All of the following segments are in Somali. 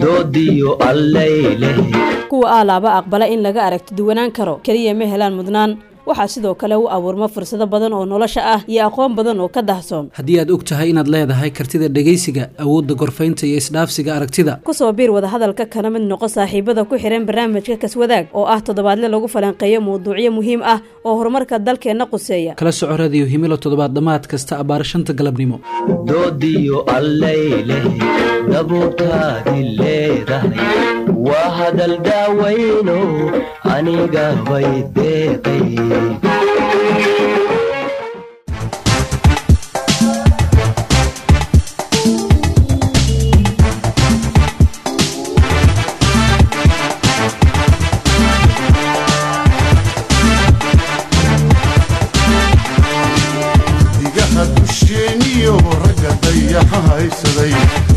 Doodiyo Allayleh. Kuwa aalaaba aqbala in laga aragti duwanaan karo keliya ma helaan mudnaan, waxaa sidoo kale u abuurma fursado badan oo nolosha ah iyo aqoon badan oo ka dahsoon. Haddii aad og tahay inaad leedahay kartida dhegaysiga, awoodda gorfaynta iyo isdhaafsiga aragtida, kusoo biir wadahadalka kana mid noqo saaxiibada ku xihan barnaamijka Kaswadaag oo ah toddobaadle lagu falanqeeyo mawduucyo muhiim ah oo horumarka dalkeenna quseeya. Kala soco Radiyo Himilo toddobaad dhammaad kasta abbaar 5ta galabnimo. Doodiyo Allayleh, dabuurtaadi leedahay waa hadal daawayno aniga bay deeqay. Xidigaha dusheeniyo ragga dayaxa haysaday,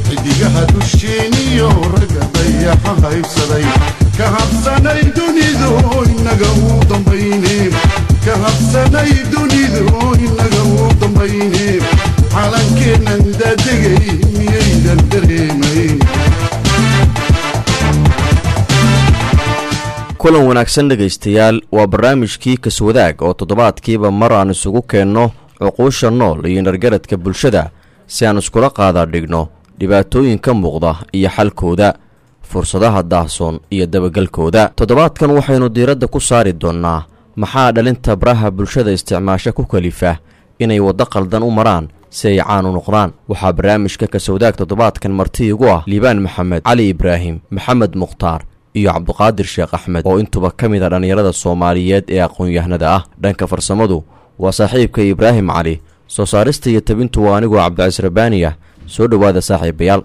xidigaha dusheeniyo ragga dayaxa haybsaday, ka habsanay dunidu inaga u dambayne, ka habsanay dunidu inaga u dambayne, calankeennan daadegay miyaydan dareemayn? Kulan wanaagsan dhegaystayaal, waa barnaamijkii Kaswadaag oo toddobaadkiiba mar aan isugu keenno cuquusha nool iyo nargaradka bulshada si aan iskula qaadaa dhigno dhibaatooyinka muuqda iyo xalkooda, fursadaha daahsoon iyo dabagelkooda. Toddobaadkan waxaynu diiradda ku saari doonnaa maxaa dhalinta baraha bulshada isticmaasha ku kalifa inay waddo qaldan u maraan si ay caan u noqdaan. Waxaa barnaamijka Kaswadaag toddobaadkan marti igu ah Liibaan Maxamed Cali, Ibraahim Maxamed Mukhtaar iyo Cabduqaadir Sheekh Axmed oo intuba ka mid a dhallinyarada Soomaaliyeed ee aqoon-yahanada ah. Dhanka farsamadu waa saaxiibka Ibraahim Cali, soo saarista iyo tabintu waa anigoo Cabdicasiis Rabbaani ah. Soo dhowaada saaxiibayaal.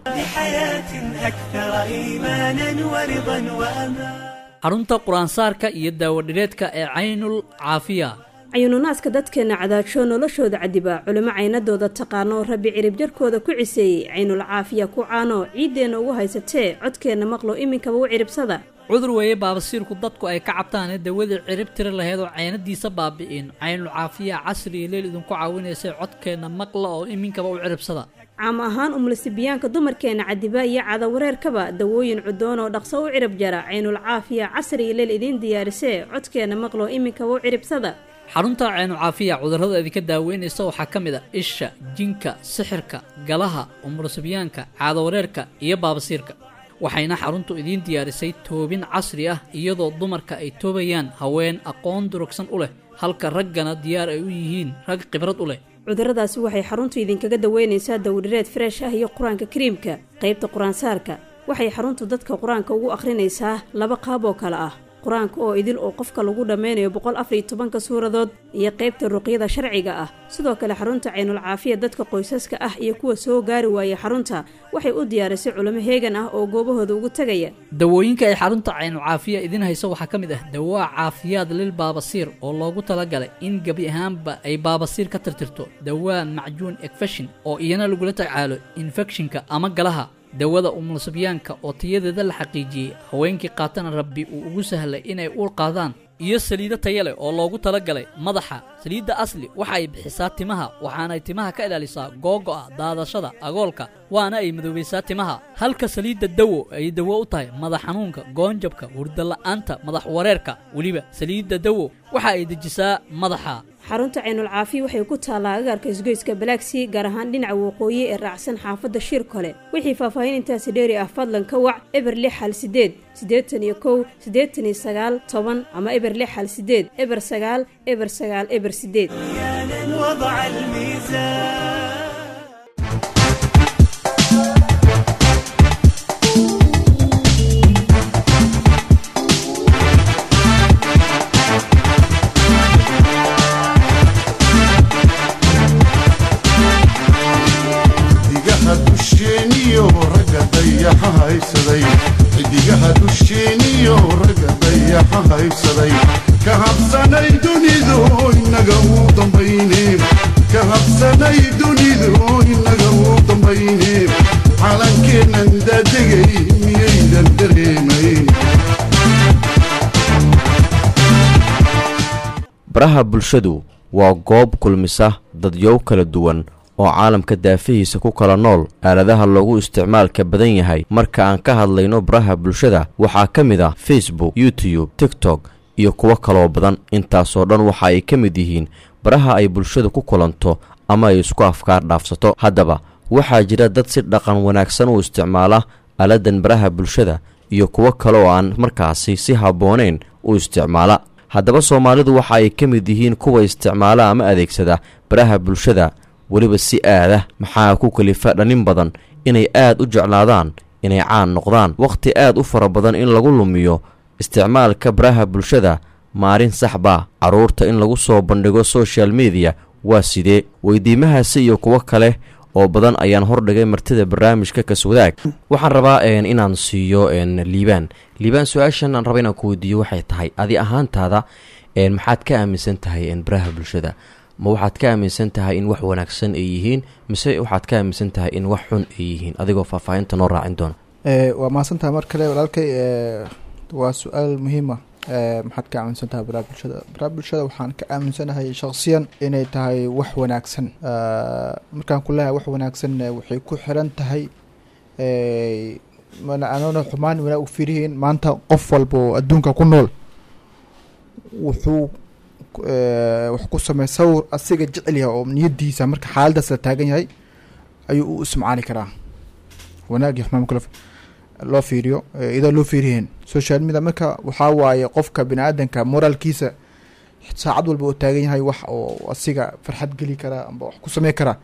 Xarunta qur-aansaarka iyo daawadhireedka ee Caynul Caafiya. Cayununaaska dadkeenna cadaajoo noloshooda cadiba, culimo caynadooda taqaano, Rabbi ciribjarkooda ku ciseeyey, Caynul Caafiya ku caano ciiddeenna ugu haysatee, codkeenna maqlo iminkaba u ciribsada. Cudur weeye baabasiirku dadku ay ka cabtaane, dawadii cirib tiri lahayd oo caynadiisa baabi'in, Caynul Caafiya casri iyo leel idinku caawinaysay, codkeenna maqla oo iminkaba u ciribsada. Caam ahaan umlisibiyaanka dumarkeenna cadiba iyo cadawareerkaba, dawooyin cudoon oo dhaqso u cirib jara, Caynul Caafiya casri iyo leel idiin diyaarisee, codkeenna maqlo iminkaba u ciribsada. Xarunta Caynu Caafiya cudurrada idinka daaweynaysa waxaa ka mid a isha, jinka, sixirka, galaha, umursibyaanka, caadawareerka iyo baabasiirka. Waxayna xaruntu idiin diyaarisay toobin casri ah, iyadoo dumarka ay toobayaan haween aqoon durugsan u leh, halka raggana diyaar ay u yihiin rag khibrad u leh. Cudurradaasi waxay xaruntu idinkaga daweynaysaa dawdhireed freesh ah iyo Qur-aanka Kariimka. Qaybta qur-aansaarka waxay xaruntu dadka qur-aanka ugu akhrinaysaa laba qaab oo kale ah: qur-aanka oo idil oo qofka lagu dhammaynayo 114ka suuradood iyo qaybta ruqyada sharciga ah. Sidoo kale xarunta Caynul Caafiya dadka qoysaska ah iyo kuwa soo gaari waaya xarunta waxay u diyaarisay culimo heegan ah oo goobahooda ugu tegaya. Dawooyinka ay xarunta Caynu Caafiya idiin hayso waxaa ka mid ah dawaa caafiyaad lil baabasiir oo loogu talagalay in gebi ahaanba ay baabasiir ka tirtirto, dawaa macjuun ekfashin oo iyana lagula tacaalo infekshinka ama galaha, dawada umulasibyaanka oo tayadeeda la xaqiijiyey, haweenkii qaatana Rabbi uu ugu sahlay inay uur qaadaan, iyo saliido taya leh oo loogu talagalay madaxa. Saliidda Asli waxa ay bixisaa timaha, waxaanay timaha ka ilaalisaa googo'a, daadashada, agoolka, waana ay madoobaysaa timaha, halka saliidda Dawo ay dawo u tahay madax xanuunka, goonjabka, hurdala'aanta, madax wareerka. Weliba saliidda Dawo waxa ay dejisaa madaxa. Xarunta Caynul Caafiya waxay ku taallaa agaarka isgoyska Balaagsii, gaar ahaan dhinaca waqooyi ee raacsan xaafadda Shir Kole. Wixii faahfaahin intaasi dheeri ah fadlan ka wac 0618 81 89 10 ama 0618 09 09 08. Xidigaha dusheeniyo ragga dayaxa haysaday, xidigaha dusheeniyo ragga dayaxa haybsaday, ka habsanay dunidu inaga u dambayne, ka habsanay dunidu inaga u dambayne, calankeennan daadegay miyaydan dareemayn? Baraha bulshadu waa goob kulmisa dadyow kala duwan Oo caalamka daafihiisa ku kala nool. Aaladaha loogu isticmaalka badan yahay marka aan ka hadlayno baraha bulshada waxaa ka mid ah Facebook, YouTube, TikTok iyo kuwo kaloo badan. Intaasoo dhan waxa ay ka mid yihiin baraha ay bulshadu ku kulanto ama ay isku afkaar dhaafsato. Haddaba waxaa jira dad si dhaqan wanaagsan u isticmaala aaladan baraha bulshada iyo kuwo kale oo aan markaasi si habboonayn u isticmaala. Haddaba Soomaalidu waxa ay ka mid yihiin kuwa isticmaala ama adeegsada baraha bulshada weliba si aada. Maxaa ku kalifa dhanin badan inay aad u jeclaadaan inay caan noqdaan, wakhti aad u fara badan in lagu lumiyo isticmaalka baraha bulshada? Maarin saxbaa carruurta in lagu soo bandhigo social media? Waa sidee? Weydiimahaasi iyo kuwo kale oo badan ayaan hordhigay martida barnaamijka Kaswadaag. Waxaan rabaa inaan siiyo Liibaan. Liibaan, su-aashan aan raba inaan ku weydiiyo waxay tahay: adi ahaantaada maxaad ka aaminsan tahay baraha bulshada? Ma waxaad ka aaminsan tahay in wax wanaagsan ay yihiin, mise waxaad ka aaminsan tahay in wax xun ay yihiin, adigoo faahfaahinta noo raacin doona? Waa mahadsantahay mar kale, walaalkay. Waa su-aal muhiima. Maxaad ka aaminsan tahay baraha bulshada? Baraha bulshada waxaan ka aaminsanahay shaksiyan inay tahay wax wanaagsan. Markaan ku leeyahay wax wanaagsan, waxay ku xiran tahay mana anoona xumaan wanaag u fiirihiin. Maanta qof walba oo adduunka ku nool wuxuu wax ku samey sawir asiga jecel yahay oo niyadiisa marka xaaladaas la taagan yahay ayuu u ismacaali karaa. Wanaag iyo xumaan kala loo fiiriyo iyadoo loo fiirihiin social media. Marka waxaa waaye qofka bini aadanka moraalkiisa saacad walba oo taagan yahay, wax oo asiga farxad geli karaa amba wax ku samey karaa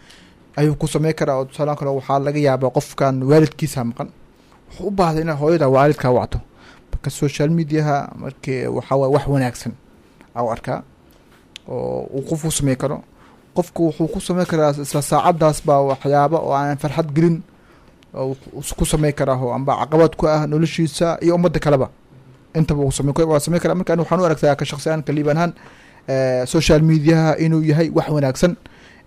ayuu ku samey karaa. Oo tusaale kale, waxaa laga yaabaa qofkan waalidkiisa maqan, wuxuu u baahday inaa hooyada waalidkaa wacto. Marka social mediaha marki waxaa waaye wax wanaagsan au arkaa oo uu qof u samey karo. Qofku wuxuu ku samey karaa isla saacadaas baa waxyaaba oo aan farxad gelin oo ku samey karaa oo amba caqabad ku ah noloshiisa iyo ummadda kaleba intaba uu samey waa samey karaa. Marka ani waxaan u aragtaa ka shakhsi ahaan, kaliibaan ahaan, social mediaha inuu yahay wax wanaagsan,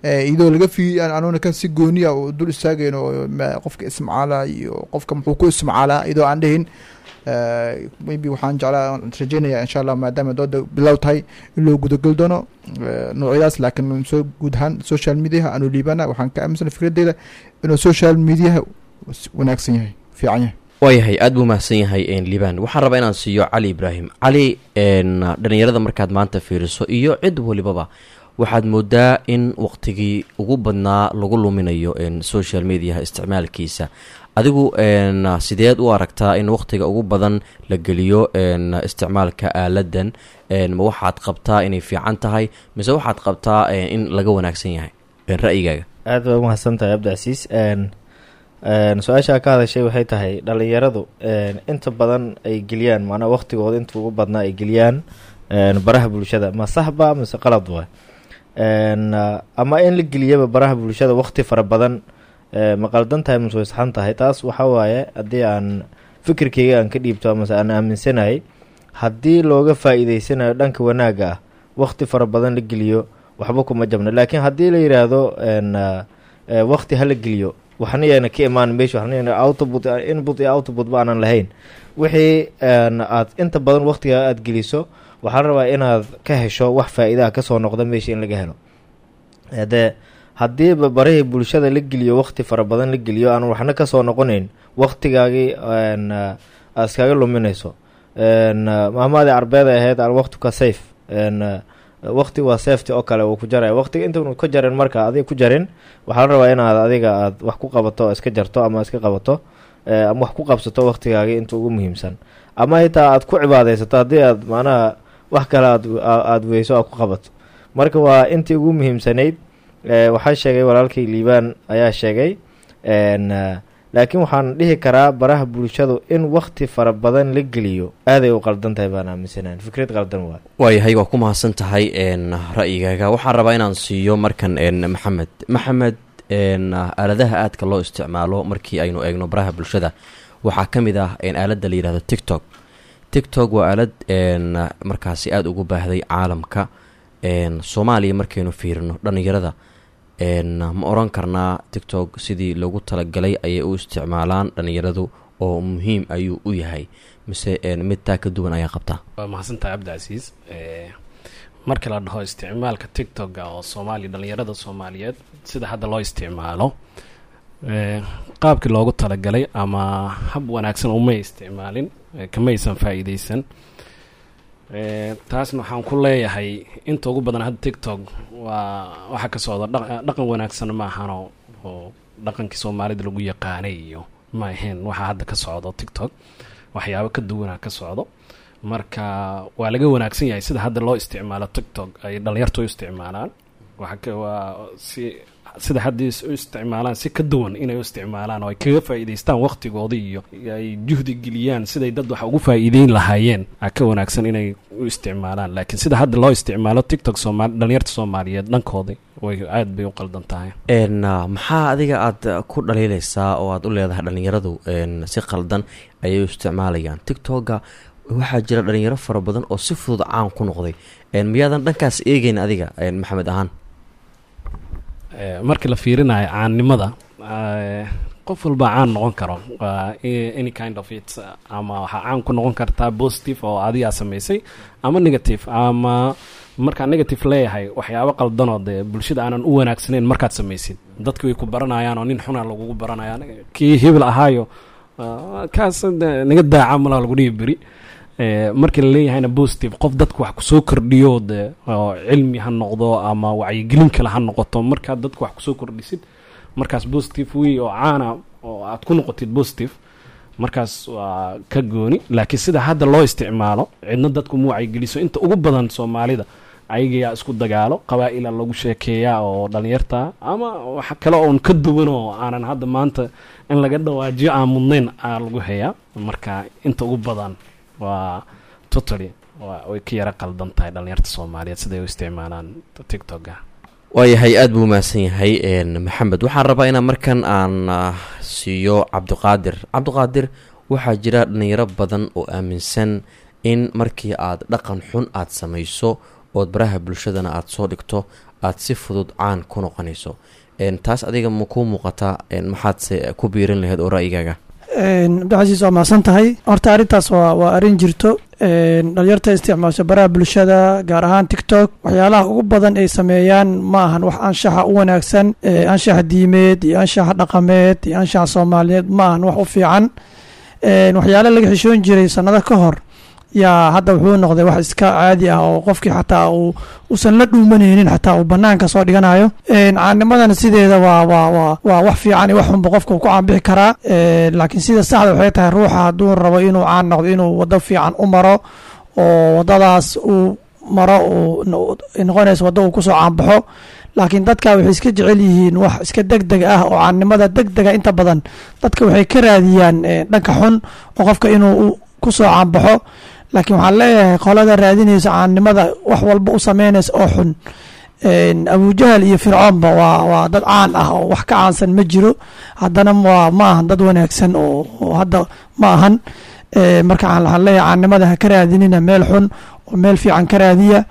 iyadoo laga fi anuuna ka si gooniya oo dul istaagayn oo qofka ismacaalaa iyo qofka muxuu ku ismacaalaa iyadoo aan dhihin. Maybe waxaan jeclaa rajeynaya, insha Allah, maadaama dooda bilow tahay, in loo gudageli doono noocyadaas. Laakiin soo guud ahaan social mediaha anu liibana waxaan ka aaminsana fikradeyda inuu social mediaha wanaagsan yahay, fiican yahay. Waayahay, aad buu mahadsan yahay Liibaan. Waxaan rabaa inaan siiyo Cali Ibraahim. Cali, dhalinyarada markaad maanta fiiriso iyo cid walibaba, waxaad moodaa in waqtigii ugu badnaa lagu luminayo social mediaha isticmaalkiisa. Adigu sideed u aragtaa in waqtiga ugu badan la geliyo isticmaalka aaladan? Ma waxaad qabtaa inay fiican tahay, mise waxaad qabtaa in laga wanaagsan yahay? Ra'yigaaga. Aad baa umahadsan tahay, Cabdicasiis. Su-aashaa ka hadashay waxay tahay dhalinyaradu inta badan ay geliyaan, macnaa waqtigooda inta ugu badnaa ay geliyaan baraha bulshada, ma saxba mise qalad waay? Ama in la geliyaba baraha bulshada waqti fara badan ma qaldan tahay mise way saxan tahay? Taas waxaa waaye, haddii aan fikirkeyga aan ka dhiibto amase aan aaminsanahay, haddii looga faa-iideysanayo dhanka wanaagga ah, waqti fara badan la geliyo waxba kuma jabna. Laakiin haddii la yidhaahdo waqti hala geliyo, waxna yaana ka imaan meesha, waxna yaana output, input iyo output ba aanan lahayn, wixii aad inta badan waqtiga aad geliso waxaa la rabaa inaad ka hesho wax faa-iidaha kasoo noqda meesha in laga helo. Dee haddiiba barihii bulshada la geliyo waqti fara badan la geliyo aan waxna kasoo noqonayn, waqtigaagii aad iskaga luminayso. Mahmaadii carbeed ahayd "Alwaqtu ka sayf", waqti waa safety oo kale, uu ku jaraya waqtiga inta ka jarin. Marka adiga ku jarin, waxaa la rabaa inaad adiga aad wax ku qabato, iska jarto ama iska qabato ama wax ku qabsato waqtigaagii inta ugu muhiimsan, ama xitaa aad ku cibaadeysato haddii aad macnaha wax kale aad weyso aad ku qabato. Marka waa intii ugu muhiimsanayd. Waxaa sheegay walaalkay Liibaan ayaa sheegay, laakiin waxaan dhihi karaa baraha bulshadu in waqti fara badan la geliyo aaday u qaldan tahay baan aaminsanayn, fikrad qaldan waay. Waayahay, waa ku mahadsan tahay ra'yigaaga. Waxaan rabaa inaan siiyo markan Maxamed. Maxamed, aaladaha aadka loo isticmaalo markii aynu eegno baraha bulshada waxaa ka mid ah aaladda la yidhahdo TikTok. TikTok waa aalad markaasi aada ugu baahday caalamka. Soomaaliya markaynu fiirino dhalinyarada, ma oran karnaa TikTok sidii loogu talagalay ayay u isticmaalaan dhalinyaradu oo muhiim ayuu u yahay, mise mid taa ka duwan ayaa qabtaa? Waa mahadsantahay, Cabdicasiis. Marka la dhaho isticmaalka TikTok oo Soomaaliya, dhalinyarada Soomaaliyeed sida hadda loo isticmaalo, qaabkii loogu talagalay ama hab wanaagsan umay isticmaalin, kamaysan faa'iideysan. Taasna waxaan ku leeyahay inta ugu badan hadda TikTok waa waxa ka socda dhaqan wanaagsan ma ahano, oo dhaqankii Soomaalida lagu yaqaanay iyo ma ahayn waxa hadda ka socdo TikTok, waxyaabo ka duwanaa ka socdo. Marka waa laga wanaagsan yahay sida hadda loo isticmaalo TikTok ay dhalinyartu u isticmaalaan. Waxa ka waa si sida hadda u isticmaalaan si ka duwan inay u isticmaalaan oo ay kaga faa'iidaystaan waqtigooda iyo ay juhdi geliyaan siday dad wax ugu faa'iideyn lahaayeen aa ka wanaagsan inay u isticmaalaan. Laakiin sida hadda loo isticmaalo TikTok, Soomaali, dhalinyarta Soomaaliyeed dhankooda way aad bay u qaldan tahay. Maxaa adiga aad ku dhaliilaysaa oo aad u leedahay dhalinyaradu si qaldan ayay u isticmaalayaan TikToka? Waxaa jira dhalinyaro fara badan oo si fudud caan ku noqday. Miyaadan dhankaas eegeyn adiga, Maxamed ahaan? Markii la fiirinayo caannimada, qof walba caan noqon karo, waa any kind of it, ama waxaa caan ku noqon kartaa positive oo adigaa samaysay ama negative. Ama markaan negative leeyahay, waxyaabo qaldanoo dee bulshada aanan u wanaagsanayn markaad samaysid, dadki way ku baranayaan oo nin xunaa lagugu baranayaan, kii hebel ahaayo, kaas naga daaca malaa lagu dhihi beri. Markii la leeyahayna positive, qof dadku wax kusoo kordhiyo de oo cilmi ha noqdo ama wacyigelin kale ha noqoto, markaad dadku wax kusoo kordhisid, markaas positive wey oo caana oo aad ku noqotid positive, markaas waa ka gooni. Laakiin sida hadda loo isticmaalo, cidna dadku ma wacyigeliso. Inta ugu badan Soomaalida ayagayaa isku dagaalo, qabaa'ila lagu sheekeeyaa oo dhalinyarta ama wax kale oon ka duwan oo aanan hadda maanta in laga dhawaajiyo aan mudnayn aa lagu hayaa. Marka inta ugu badan waa totally waa way ka yara qaldan tahay dhalinyarta Soomaaliyeed siday u isticmaalaan TikToka. Waayahay, aada buu mahadsan yahay Maxamed. Waxaan rabaa inaan markan aan siiyo Cabdiqaadir. Cabdiqaadir, waxaa jira dhalinyaro badan oo aaminsan in markii aad dhaqan xun aad samayso ood baraha bulshadana aada soo dhigto aad si fudud caan ku noqonayso. Taas adiga ma kuu muuqataa? Maxaadse ku biirin lahayd oo ra'yigaaga? Cabdicasiis, waa mahadsan tahay. Horta arrintaas waa arrin jirto. Dhalinyarta isticmaasha baraha bulshada, gaar ahaan TikTok, waxyaalaha ugu badan ay sameeyaan ma ahan wax anshaxa u wanaagsan. Anshaxa diimeed iyo anshaxa dhaqameed iyo anshaxa Soomaaliyeed ma ahan wax u fiican. Waxyaala laga xishoon jiray sanado ka hor yaa hadda wuxuu noqday wax iska caadi ah oo qofkii xataa uu uusan la dhuumanaynin, xataa uu banaanka soo dhiganayo. Caanimadana sideeda waa wax fiican iyo wax xunba qofka uu ku caanbixi karaa. Laakiin sida saxda waxay tahay, ruuxa hadduu rabo inuu caan noqdo, inuu waddo fiican u maro oo waddadaas uu maro uu noqonayso waddo uu kusoo caanbaxo. Laakiin dadka waxay iska jecel yihiin wax iska deg deg ah, oo caannimada deg dega inta badan dadka waxay ka raadiyaan dhanka xun oo qofka inuu kusoo caanbaxo. Laakiin waxaan leeyahay qolada raadinaysa caannimada wax walba u sameynaysa oo xun, Abujahal iyo Fircoonba waa dad caan ah oo wax ka caansan ma jiro, haddana waa ma ahan dad wanaagsan oo hadda ma ahan. Marka waxaan leeyahay caannimada ha ka raadinina meel xun oo meel fiican ka raadiya.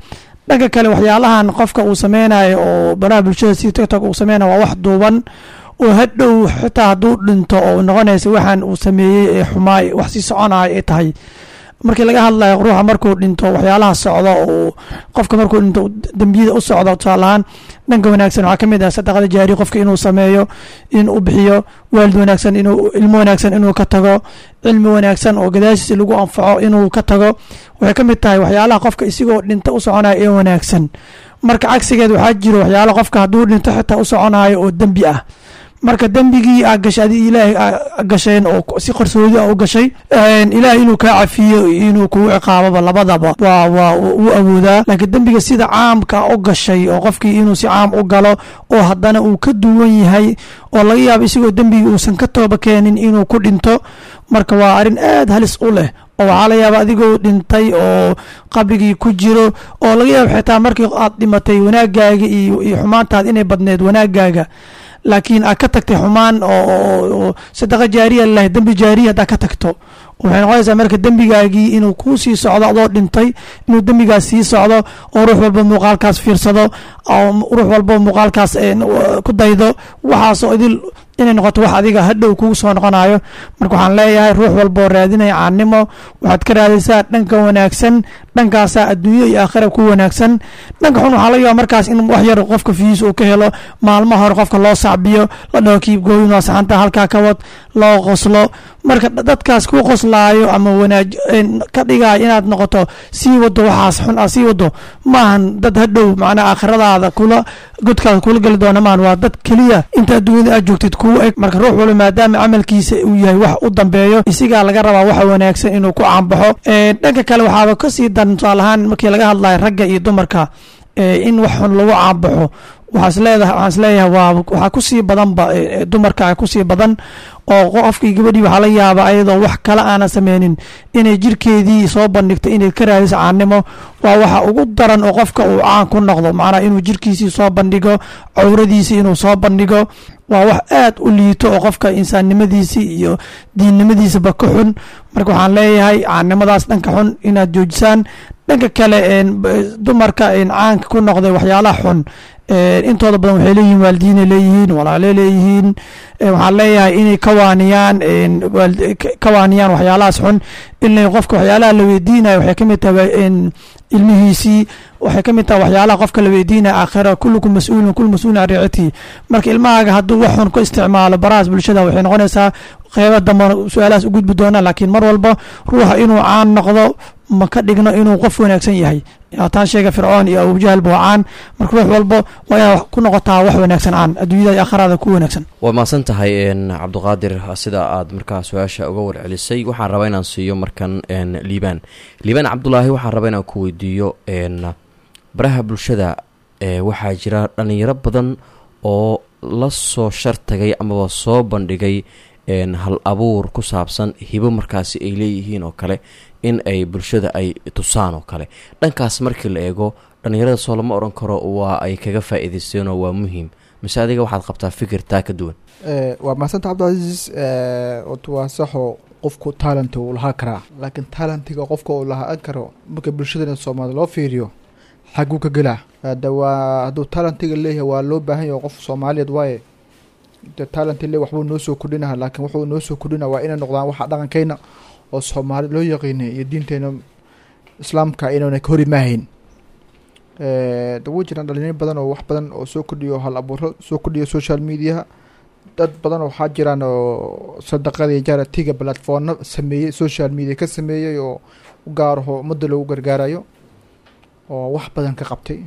Dhanka kale, waxyaalahan qofka uu sameynayo oo baraha bulshada si TikTok uu sameynayo waa wax duuban oo hadhow xitaa hadduu dhinto oo noqonaysa waxaan uu sameeyey ee xumaay wax sii soconayo ay tahay. Markii laga hadlayo ruuxa markuu dhinto waxyaalaha socdo oo qofka markuu dhinto dembiyada u socdo, tusaale ahaan dhanka wanaagsan waxaa kamid ah sadaqada jaari qofka inuu sameeyo, inuu bixiyo, waalid wanaagsan inuu, ilmo wanaagsan inuu ka tago, cilmi wanaagsan oo gadaashiisa lagu anfaco inuu ka tago. Waxay ka mid tahay waxyaalaha qofka isigoo dhinta u soconayo ee wanaagsan. Marka cagsigeed waxaa jiro waxyaala qofka hadduu dhinto xitaa u soconayo oo dembi ah. Marka dembigii aa gashay adi Ilaahay aa gasheen oo si qarsoodi ah u gashay, Ilaahay inuu kaa cafiyo iyo inuu kugu ciqaababa labadaba waa uu awoodaa. Laakiin dembiga sida caamka u gashay oo qofkii inuu si caam u galo oo haddana uu ka duwan yahay oo laga yaabo isagoo dembigii uusan ka tooba keenin inuu ku dhinto, marka waa arrin aad halis u leh oo waxaa la yaaba adigoo dhintay oo qabrigii ku jiro oo laga yaabo xitaa markii aad dhimatay wanaagaaga iyo xumaantaada inay badneed wanaagaaga, laakiin aad ka tagtay xumaan oo sadaqa jaariya lahay, dembi jaariya haddaa ka tagto, waxay noqonaysaa marka dembigaagii inuu kuu sii socdo adoo dhintay, inuu dembigaas sii socdo oo ruux walba muuqaalkaas fiirsado oo ruux walba muuqaalkaas ku daydo, waxaasoo idil inay noqoto wax adiga hadhow kugu soo noqonayo. Marka waxaan leeyahay ruux walba oo raadinaya caannimo, waxaad ka raadaysaa dhanka wanaagsan. Dhankaasaa adduunyo iyo aakhira ku wanaagsan. Dhanka xun waxaa laga yaaba markaas in wax yar qofka views uu ka helo, maalmaha hore qofka loo sacbiyo, la dhaho "Keep going, waa saxanta, halkaa ka wad," loo qoslo. Marka dadkaas ku qoslaayo ama wanaaj ka dhigaayo inaad noqoto sii wado waxaas xun aad sii wado, maahan dad hadhow macnaha aakhiradaada kula godkaada kula geli doona maahan. Waa dad keliya inta adduunyada aad joogtid kuu eg. Marka ruux walba, maadaama camalkiisa uu yahay wax u dambeeyo, isigaa laga rabaa waxa wanaagsan inuu ku caanbaxo. Dhanka kale waxaaba kasii daran, tusaale ahaan markii laga hadlayo ragga iyo dumarka in wax xun lagu caanbaxo, waxaan isleeyahay waa waxaa kusii badanba dumarka kusii badan, oo qofkii gabadhii waxaa laga yaabaa ayadoo wax kale aanan sameynin inay jirkeedii soo bandhigto, inay ka raadiso caannimo. Waa waxa ugu daran oo qofka uu caan ku noqdo, macnaha inuu jirkiisii soo bandhigo, cawradiisii inuu soo bandhigo, waa wax aad u liito oo qofka insaannimadiisii iyo diinnimadiisaba ka xun. Marka waxaan leeyahay caannimadaas dhanka xun inaad joojisaan. Dhanka kale, dumarka caanka ku noqday waxyaalaha xun intooda badan waxay leeyihiin waalidiinay leeyihiin, walaaley leeyihiin. Waxaan leeyahay inay ka waaniyaan waxyaalahaas xun. Inay qofka waxyaalaha la weydiinayo waxay ka mid tahay ilmihiisii, waxay ka mid tahay waxyaalaha qofka la weydiinaya aakhira. كلكم مسؤول، كل مسؤول عن رعيته. Marka ilmahaaga hadduu wax xun ku isticmaalo barahaas bulshada, waxay noqonaysaa qeybo dambe su-aalahaas u gudbi doona. Laakiin mar walba ruuxa inuu caan noqdo ma ka dhigno inuu qof wanaagsan yahay. Taan sheega, Fircoon iyo Abujahal ba waa caan. Marka ruux walba waa inaad ku noqotaa wax wanaagsan caan, adduunyada iyo aakhirada ku wanaagsan. Waa mahadsan tahay, Cabdiqaadir, sida aad markaa su-aasha uga warcelisay. Waxaan rabaa inaan siiyo markan Liibaan, Liibaan Cabdulaahi. Waxaan rabaa inaan ku weydiiyo, baraha bulshada waxaa jira dhalinyaro badan oo la soo shartagay amaba soo bandhigay hal abuur ku saabsan hibo markaasi ay leeyihiin oo kale in ay bulshada ay tusaan oo kale. Dhankaas markii la eego, dhalinyarada soo lama odhan karo waa ay kaga faa-iideysteenoo waa muhiim, mise adiga waxaad qabtaa fikir taa ka duwan? Waa mahadsantahay, Cabdicasiis. Horta waa saxo, qofku talent uu lahaa karaa, laakiin talentiga qofka uu lahaan karo marka bulshadana Soomaalida loo fiiriyo xaguu ka gelaa? Hada waa hadduu talentiga leeyahay, waa loo baahan yahay, qof Soomaaliyeed waaye, de talent le waxbuu noo soo kordhinaha, laakiin wuxuu noo soo kordhina waa inay noqdaan waxa dhaqankeyna oo Soomaali loo yaqiinay iyo diinteena Islaamka inuuna ka hor imaahayn. De way jiraan dhalinyaro badan oo wax badan oo soo kordhiyo, hal abuuro soo kordhiyo social mediaha. Dad badan oo waxaa jiraan oo sadaqada iyo charity-ga platformno sameeyey, social media ka sameeyey oo u gaaraho ummadda loogu gargaarayo oo wax badan ka qabtay.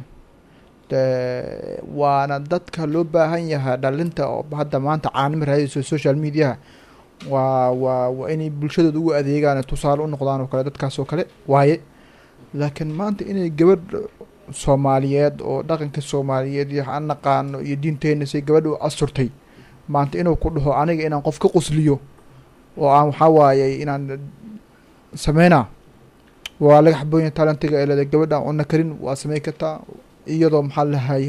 De waana dadka loo baahan yahay. Dhalinta oo hadda maanta caanimo raadayso social mediaha waa inay bulshadooda ugu adeegaan, tusaale u noqdaan oo kale, dadkaas oo kale waaye. Laakiin maanta inay gabadh Soomaaliyeed oo dhaqanka Soomaaliyeed iyo aan naqaano iyo diinteena say gabadha u asturtay, maanta inuu ku dhaho aniga inaan qof ka qusliyo oo aan waxaa waaye inaan sameynaa, waa laga xaboonya. Talentiga ee leedahay gabadha cunno karin waa sameyn kartaa, iyadoo maxaa lahay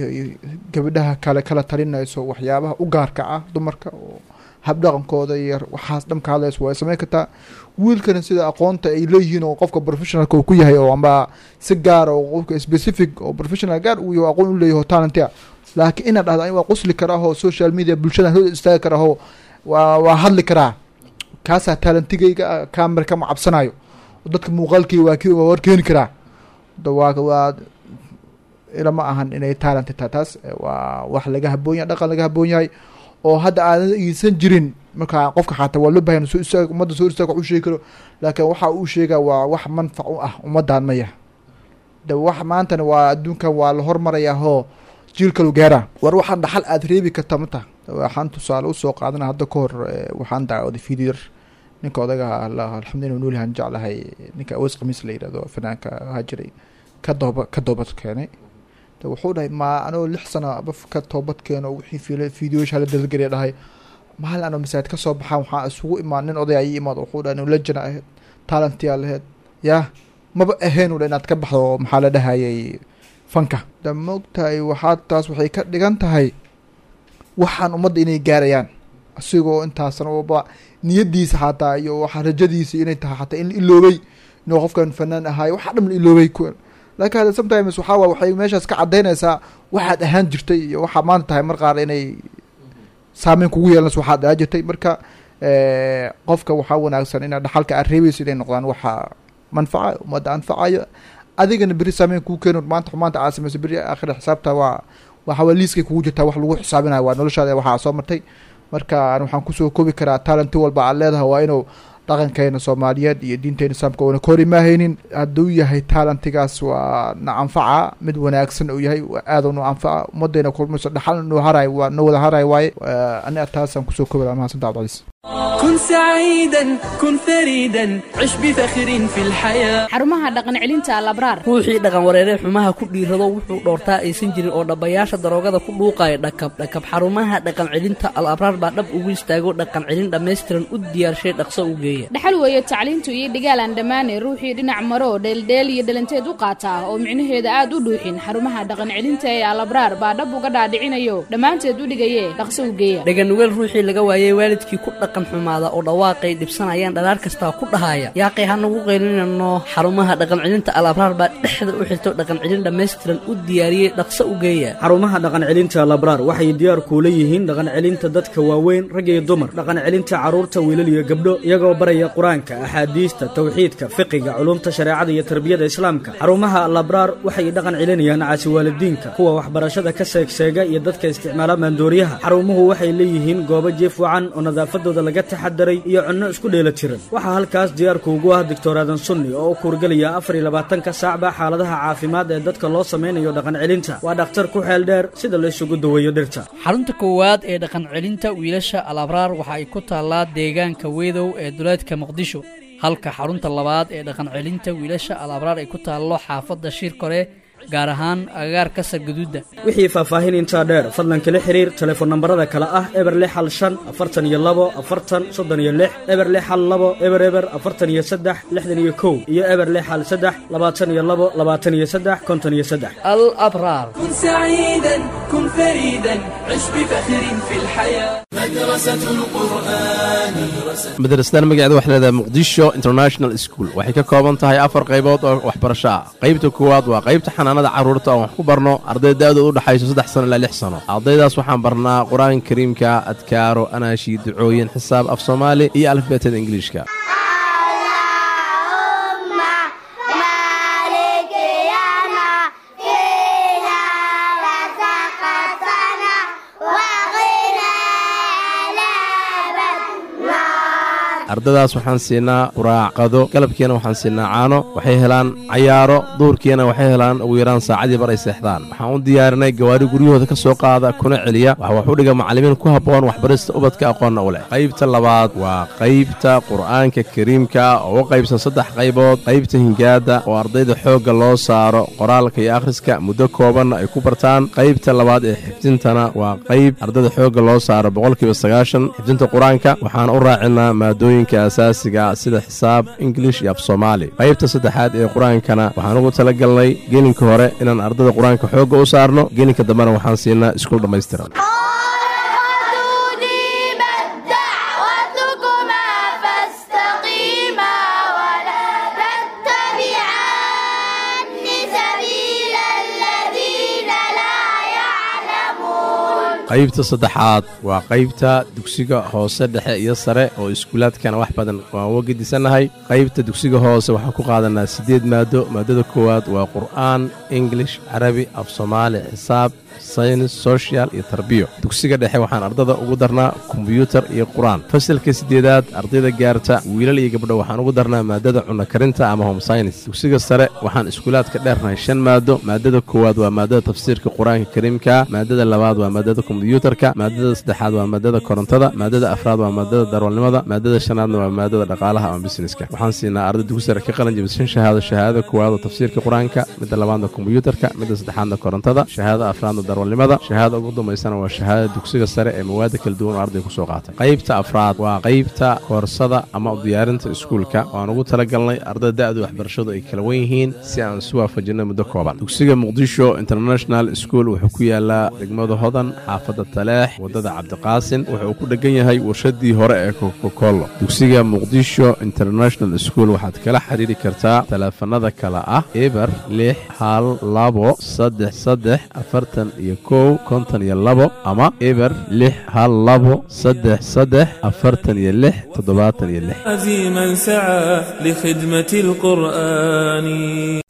gabadhaha kale kala talinayso waxyaabaha u gaarka ah dumarka oo habdhaqankooda iyo waxaas dham ka hadlayso, waa sameyn kartaa. Wiilkana sida aqoonta ay leeyihiin oo qofka professionalka uu ku yahay oo amba si gaara oo qofka specific oo professional gaar uu yahay aqoon u leeyahay oo talent ah. Laakiin inaad dhahdo ani waa qosli karaa oo social media bulshada hor istaagi karaa oo waa hadli karaa, kaasaa talentigayga ah, camera kama cabsanayo, dadka muuqaalkii waa ki waa war keeni karaa, da waa ilama ahan inay talent tahay taas. Waa wax laga haboon yahay, dhaqan laga haboon yahay oo hadda aadan iisan jirin. Marka qofka xataa waa loo bahan soo istaag, ummadda soo istaag, wax u sheegi karo, laakiin waxa uu sheegaa waa wax manfac u ah ummaddan maya. De wax maantana waa adduunkan waa la hormarayaa hoo jiil kalu gaaraa. War waxaan dhaxal aad reebi karta mata. Waxaan tusaale usoo qaadana, hadda ka hor waxaan daawaday video yar, ninka odaga, alxamdulillah noolyahan jeclahay, ninka Aweys Khamiis la yidhahdo, fanaanka ahaa jiray, ka toobad keenay. De wuxuu dhahay ma anoo 6 sano baf ka toobad keeno, wixii fiila videoyasha hala dalgariya dhahay, maalin anoo masaajid ka soo baxaan waxaa isugu imaan nin oday ayay imaad. Wuxuu dhahay legend ahayd, talentiyaa lahayd, yaa maba ahayn udha inaad ka baxdo, maxaa la dhahayay, fanka. Da maogtahay, waxaa taas waxay ka dhigan tahay waxaan ummadda inay gaarayaan, asigoo intaasna ba niyadiisa xataa iyo waxa rajadiisa inay tahay xataa in la iloobay inuu qofkan fanaan ahaay, waxa dham la iloobay. Laakiin hadda sometimes waxaa waay waxay meeshaas ka caddaynaysaa waxaad ahaan jirtay iyo waxaa maanta tahay, mar qaar inay saameyn kugu yeelanayso waxaad ahaan jirtay. Marka qofka waxaa wanaagsan inaad dhaxalka aad reebayso inay noqdaan waxa manfaca ummadda anfacayo, Adigana beri saameyn kuu keeno. Maanta xumaanta aad samayso, beri aakhira xisaabta waa waxa waa liiskay kugu jirtaa, wax lagu xisaabinayo waa noloshaada waxaa soo martay. Marka aan waxaan kusoo koobi karaa, talenti walba aad leedahay waa inuu dhaqankeena Soomaaliyeed iyo diinteena Islaamka uuna ka hor imaahaynin. Hadduu yahay talentigaas waa na anfaca, mid wanaagsan uu yahay, aad nu anfaca ummadeyna kulmayso, dhaxal noo haray, waa noo wada haray waaye. Aniga taasaan kusoo koobi lahaa. Mahadsantaha, Cabdicasiis. كن سعيدا، كن فريدا، عش بفخر في الحياة. Xarumaha dhaqan celinta Alabraar. Ruuxii dhaqan wareeree xumaha ku dhiirado, wuxuu dhoortaa aysan jirin oo dhabbayaasha daroogada ku dhuuqaya, dhakab dhakab, xarumaha dhaqan celinta Al Abraar baa dhab ugu istaago, dhaqan celin dhammaystiran u diyaarshay, dhaqso u geeya. Dhaxal weeye tacliintu iyo dhigaal aan dhammaanay. Ruuxii dhinac maro, dheeldheel iyo dhalanteed u qaata oo micnaheeda aad u dhuuxin, xarumaha dhaqan celinta ee Alabraar baa dhab uga dhaadhicinayo, dhammaanteed u dhigaye, dhaqso u geeya. Dhaganugeel ruuxii laga waayey waalidkii, ku dhaqan xumaada oo dhawaaqay dhibsanayaan dhalaar kastaa ku dhahaya, yaaqay ha nagu qaylinano, xarumaha dhaqan celinta Al Abraar baa dhexda u xirto, dhaqan celin dhammaystiran u diyaariyey, dhaqso u geeya. Xarumaha dhaqan celinta Labraar waxay diyaar kuula yihiin dhaqan celinta dadka waaweyn, rag iyo dumar, dhaqan celinta carruurta, wiilal iyo gabdho, iyagoo baraya Qur-aanka, axaadiista, tawxiidka, fiqiga, culumta shareecada iyo tarbiyada Islaamka. Xarumaha Labraar waxay dhaqan celinayaan caasiwaalidiinka, kuwa waxbarashada ka seegseega iyo dadka isticmaala maandooriyaha. Xarumuhu waxay leeyihiin goobo jiif wacan oo nadaafadooda laga taxadaray iyo cunno isku dheela tiran. Waxaa halkaas diyaarku ugu ah Doctor Aadan Sunni oo u kuurgelaya 24-ka saacba xaaladaha caafimaad ee dadka loo samaynayo dhaqan celinta. Waa dhakhtar ku xeel dheer sida la isugu daweeyo dhirta. Xarunta koowaad ee dhaqan celinta wiilasha Al Abraar waxa ay ku taallaa deegaanka Wedow ee duleedka Muqdisho, halka xarunta labaad ee dhaqan celinta wiilasha Al Abraar ay ku taallo xaafadda Shirkore, gaar ahaan agagaarka Sargaduudda. Wixii faahfaahin intaa dheer, fadlan kala xiriir telefoon nambarada kale ah 0615 42 40 36, 0612 00 43 61 iyo 0613 22 23 53. Al Abraar. كن سعيدا، كن فريدا، عش بفخر في الحياة. مدرسة القرآن. Madrasadan magaceeda waxay leedahay Muqdisho International School. Waxay ka kooban tahay afar qaybood oo waxbarasho ah. Qaybta koowaad waa qaybta xanaanada carruurta oo wax ku barno arday da'doodu u dhaxayso 3 sano ilaa 6 sano. Ardaydaas waxaan barnaa Qur-aanka Kariimka, adkaaro, anaashi, ducooyin, xisaab, af Soomaali iyo alifbeetada Ingiliishka. Ardadaas waxaan siinaa quraac, qado, galabkiina waxaan siinaa caano. Waxay helaan cayaaro, duurkiina waxay helaan ugu yaraan saacadii bar ay seexdaan. Waxaan u diyaarinay gawaari guryahooda ka soo qaada kuna celiya. Waxa wax u dhiga macallimiin ku habboon waxbarista ubadka, aqoonna u leh. Qaybta labaad waa qaybta Qur'aanka Kariimka oo u qaybsan saddex qaybood: qaybta hingaada oo ardayda xoogga loo saaro qoraalka iyo akhriska, muddo koobanna ay ku bartaan; qaybta labaad ee xifdintana waa qayb ardayda xoogga loo saaro 90% xifdinta Qur-aanka, waxaan u raacinaa maadooyinka asaasiga sida xisaab, Ingilish iyo af Soomaali; qaybta saddexaad ee Qur-aankana waxaan ugu talagalnay gelinka hore inaan ardayda Qur-aanka xoogga u saarno, gelinka dambena waxaan siinaa iskuul dhammaystiran. دعوتكما فاستقيما ولا تتبعان سبيل الذين لا يعلمون. Qaybta saddexaad waa qaybta dugsiga hoose, dhexe iyo sare oo iskuulaadkana wax badan waan uga gedisannahay. Qaybta dugsiga hoose waxaan ku qaadanaa siddeed maado. Maadada koowaad waa Qur'aan, English, Carabi, af Soomaali, xisaab, saynis, social iyo tarbiyo. Dugsiga dhexe waxaan ardada ugu darnaa kombyuutar iyo Qur-aan. Fasalka siddeedaad ardayda gaarta, wiilal iyo gabdho, waxaan ugu darnaa maadada cunno karinta ama home science. Dugsiga sare waxaan iskuulaadka dheernahay shan maado. Maadada koowaad waa maadada tafsiirka Qur-aanka Kariimka, maadada labaad waa maadada kombyuutarka, maadada saddexaad waa maadada korontada, maadada afraad waa maadada darwalnimada, maadada shanaadna waa maadada dhaqaalaha ama businesska. Waxaan siinaa arday dugsi sare ka qalin jabisay shan shahaado: shahaadada koowaad oo tafsiirka Qur-aanka, midda labaadna kombyuutarka, midda saddexaadna korontada, shahaadada afraadna darwalnimada, shahaadada ugu dambaysana waa shahaadada dugsiga sare ee mawaada kala duwan oo ardayga kusoo qaatay. Qaybta afraad waa qaybta koorsada ama u diyaarinta iskuulka oo aan ugu talagalnay ardayda da'du waxbarashadu ay kala wen yihiin si aan isu waafajinay muddo kooban. Dugsiga Muqdisho International School wuxuu ku yaalaa degmada Hodan, xaafadda Xaafadda Taleex, waddada Cabdiqaasin. Wuxuu ku dheggan yahay warshadii hore ee Kokokolo. Dugsiga Muqdisho International School waxaad kala xiriiri kartaa taleefanada kale ah 0612 33 41 52 ama 0612 33 46 76. من سعى لخدمة القرآن.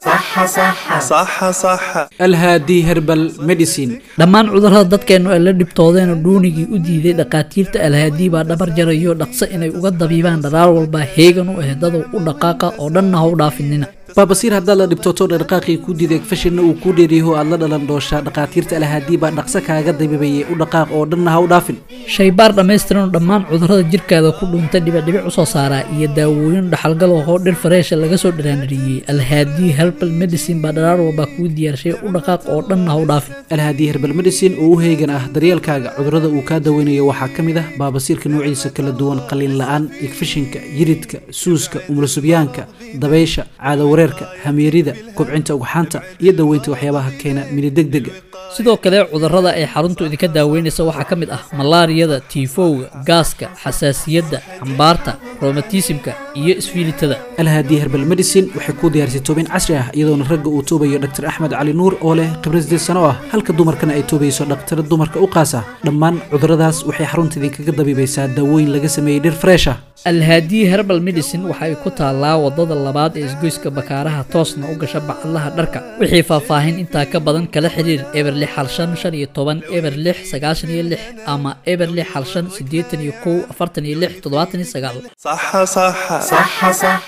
صح صح صح صح. Alhaadi Herbal Medicine. Dhammaan cudurrada dadkeennu ay la dhibtoodeen oo dhuunigii u diiday, dhakhaatiirta Alhaadii baa dhabar jarayo dhaqso inay uga dabiibaan dharaar walba heegan u ehedadow u dhaqaaqa oo dhanna ha u dhaafinina. Baabasiir haddaad la dhibtooto, dhaqaaqii ku diiday, fashinna uu kuu dheeriyaho aad la dhalan dooshaa, dhakhaatiirta Alhaadii baa dhaqso kaaga dabiibayay. U dhaqaaq oo dhanna ha u dhaafin. Shaybaar dhammaystiran oo dhammaan cudurrada jirkaada ku dhuunta dhibicdhibic u soo saaraa iyo daawooyin dhaxalgal ahoo dhir fareesha laga soo dhiraandhiriyey, Alhaadii Herbal Medicine baa dharaar walba kuu diyaarshay. U dhaqaaq oo dhanna ha u dhaafin. Alhaadi Herbal Medicine oo u heegan ah daryeelkaaga, cudurrada uu kaa daweynayo waxaa ka mid ah baabasiirka noociisa kala duwan, qalliin la-aan, igfishinka, yiridka, suuska, umulasubyaanka, dabaysha, caado wareerka, hamiirida, kobcinta ugxaanta iyo daweynta waxyaabaha keena minidegdega. Sidoo kale cudurrada ay xaruntu idinka daaweynaysa waxaa ka mid ah malaariyada, tiifowga, gaaska, xasaasiyadda, xambaarta, romatisimka iyo isfiilitada. Alhaadi Herbal Medicine waxay kuu diyaarisay toobin casri ah, iyadoona ragga uu toobayo Dr Axmed Cali Nuur oo leh khibrad 8 sano ah, halka dumarkana ay toobayso dhaktar dumarka u qaasa. Dhammaan cudurradaas waxay xarunta idinkaga dabiibaysaa daawooyin laga sameeyey dhir fresh ah. Alhaadi Herbal Medicine waxa ay ku taallaa wadada labaad ee isgoyska Bakaaraha, toosna u gasha Bacadlaha dharka. Wixii faahfaahin intaa ka badan kala xiriir 0615 15 06 96 ama 0615 81 46 79. صح صح صح صح.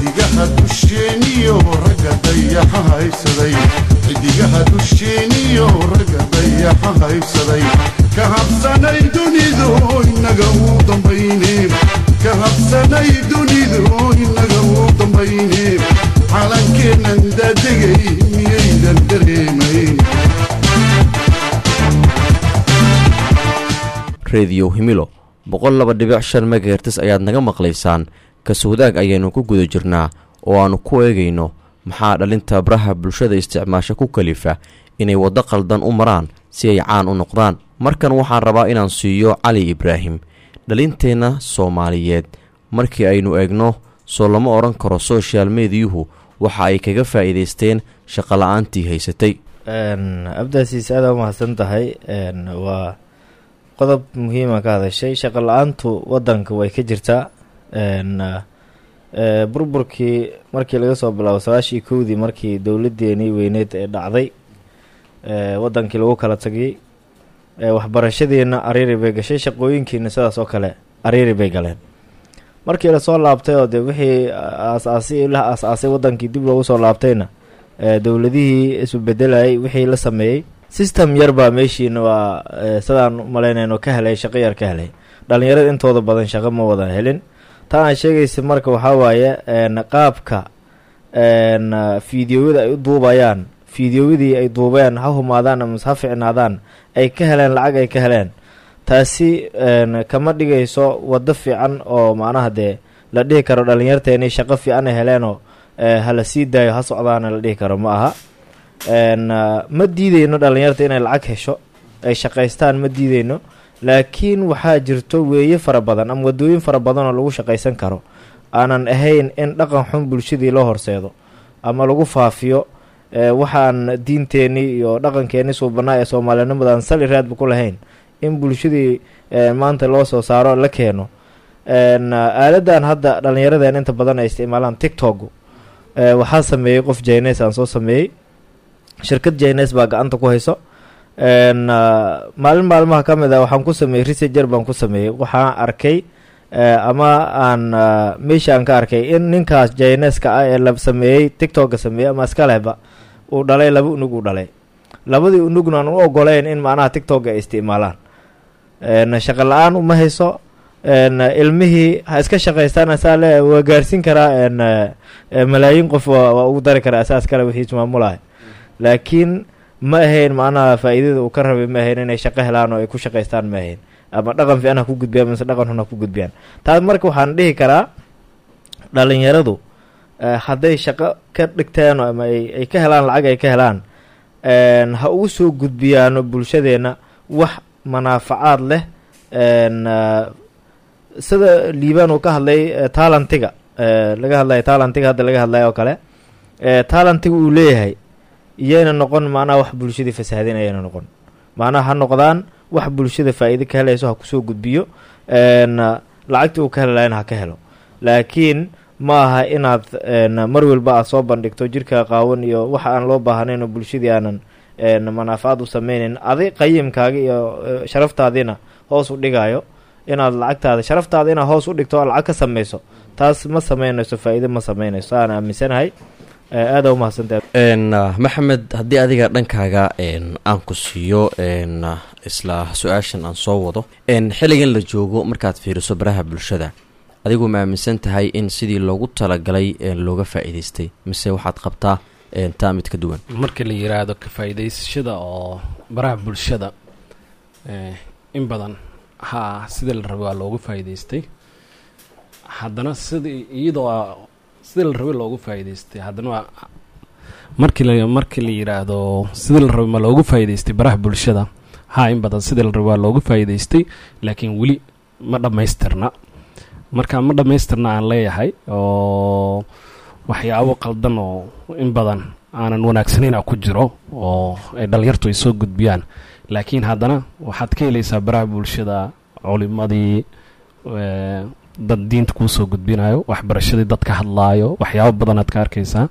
Xidigaha dusheeniyo ragga dayaxa haysaday, xidigaha dusheeniyo ragga dayaxa haybsaday, ka habsanay dunidu inaga u dambayne, ka habsanay dunidu inaga u dambayne, calankeennan daadegay miyaydan dareemayn? Rediyo Himilo 102.5 megahertz ayaad naga maqlaysaan. Kaswadaag ayaynu ku guda jirnaa oo aannu ku eegayno maxaa dhalinta baraha bulshada isticmaasha ku kalifa inay waddo qaldan u maraan si ay caan u noqdaan. Markan waxaan rabaa inaan siiyo Cali Ibraahim. Dhalinteenna Soomaaliyeed markii aynu eegno, soo lama odhan karo social mediyuhu waxa ay kaga faa'iidaysteen shaqola'aantii haysatay? Abdaasiis, aada umahadsan tahay. Waa qodob muhiima ka hadashay. Shaqo la-aantu wadanka way ka jirtaa. Burburkii markii laga soo bilaabo 91-dii, markii dowladeenii weyneed ee dhacday, wadankii lagu kala tagay, waxbarashadiina ariiri bay gashay, shaqooyinkiina sidaas oo kale ariiri bay galeen. Markii lasoo laabtay oo dee wixii aas-aasi la aas-aasay wadankii dib loogu soo laabtayna, dowladihii isu bedelayay wixii la sameeyey system yar baa meeshiina waa sidaan umalaynayno ka helay, shaqo yar ka helay. Dhalinyarada intooda badan shaqo ma wada helin. Taa aan sheegaysa marka waxaa waaye qaabka fiidiyoyada ay u duubayaan, fiidiyoyadii ay duubeen ha humaadaan amase ha ficnaadaan, ay ka heleen lacag ay ka heleen, taasi kama dhigayso waddo fiican oo macnaha dee la dhihi karo dhalinyarteeni shaqo fiican ay heleenoo hala sii daayo ha socdaana la dhihi karo ma aha. Ma diideyno dhalinyarta inay lacag hesho, ay shaqaystaan, ma diideyno, laakiin waxaa jirto weeye fara badan ama wadooyin fara badan oo lagu shaqaysan karo aanan ahayn in dhaqan xun bulshadii loo horseedo ama lagu faafiyo waxaan diinteenii iyo dhaqankeenii suubanaa ee soomaalinimadan sali raadba ku lahayn in bulshadii maanta loo soo saaro la keeno. Aaladan hadda dhalinyaradeen inta badan ay isticmaalaan, TikTok, waxaa sameeyey qof Chinese aan soo sameeyey, shirkad Chinese baa gacanta ku hayso. Maalin maalmaha ka mid ah waxaan ku sameeyey researcher baan ku sameeyey, waxaan arkay ama aan meesha aan ka arkay in ninkaas Chineska ah ee la sameeyey TikToka sameeyey ama iska lehba uu dhalay laba unug, uu dhalay labadii unugna aan u ogoleyn in macnaha TikToka ay isticmaalaan. Shaqo la-aan uma hayso, ilmihii ha iska shaqaystaan, asaa le waa gaarsiin karaa malaayiin qof, waa ugu dari karaa asaas kale wixiis maamulahay, laakiin Ma ahayn macnaha faa'iidada uu ka rabay, ma ahayn inay shaqo helaan oo ay ku shaqaystaan, ma ahayn ama dhaqan fiican ha ku gudbiyaan mise dhaqan xun ha ku gudbiyaan. Taas marka waxaan dhihi karaa dhalinyaradu hadday shaqo ka dhigteen oo ama ay ka helaan lacag ay ka helaan, ha ugu soo gudbiyaano bulshadeenna wax manaafacaad leh. Sida Liibaan uu ka hadlay, talentiga laga hadlayo, talentiga hadda laga hadlayo oo kale, talentiga uu leeyahay iyayna noqon macnaha wax bulshadii fasahaadin, ayayna noqon macnaha, ha noqdaan wax bulshada faa'iido ka helayso ha kusoo gudbiyo, lacagtii uu ka heli lahayna ha ka helo. Laakiin ma aha inaad mar walba aad soo bandhigto jirka qaawan iyo waxa aan loo baahnayn oo bulshadii aanan manaafacaad u sameynayn, adi qayimkaaga iyo sharaftaadiina hoos u dhigayo. Inaad lacagtaada, sharaftaada inaad hoos u dhigto oo lacag ka sameyso, taas ma sameynayso faa'iido, ma sameynayso, aan aaminsanahay. Aada umahadsantahay. Maxamed, haddii adiga dhankaaga aan ku siiyo isla su-aashan aan soo wado, xilligan la joogo markaad fiiriso baraha bulshada, adigu ma aaminsan tahay in sidii loogu talagalay looga faa'iidaystay, mise waxaad qabtaa taa mid ka duwan? Marka la yiraahdo ka faa'iidaysashada oo baraha bulshada, in badan ha sidii la rabay waa loogu faa'iidaystay. Haddana sidii iyadoo sidii la rabay loogu faa'iidaystay, haddana waa markii la yiraahdo sidii la rabay ma loogu faa'iidaystay baraha bulshada, ha, in badan sidii la rabay waa loogu faa'iidaystay, laakiin weli ma dhammaystirna. Marka ma dhammaystirna aan leeyahay oo waxyaabo qaldan oo in badan aanan wanaagsanayna ku jiro oo ay dhalinyartu ay soo gudbiyaan. Laakiin haddana waxaad ka helaysaa baraha bulshada culimadii, dad diinta kuu soo gudbinayo, waxbarashadii dad ka hadlaayo, waxyaabo badan aad ka arkaysaa.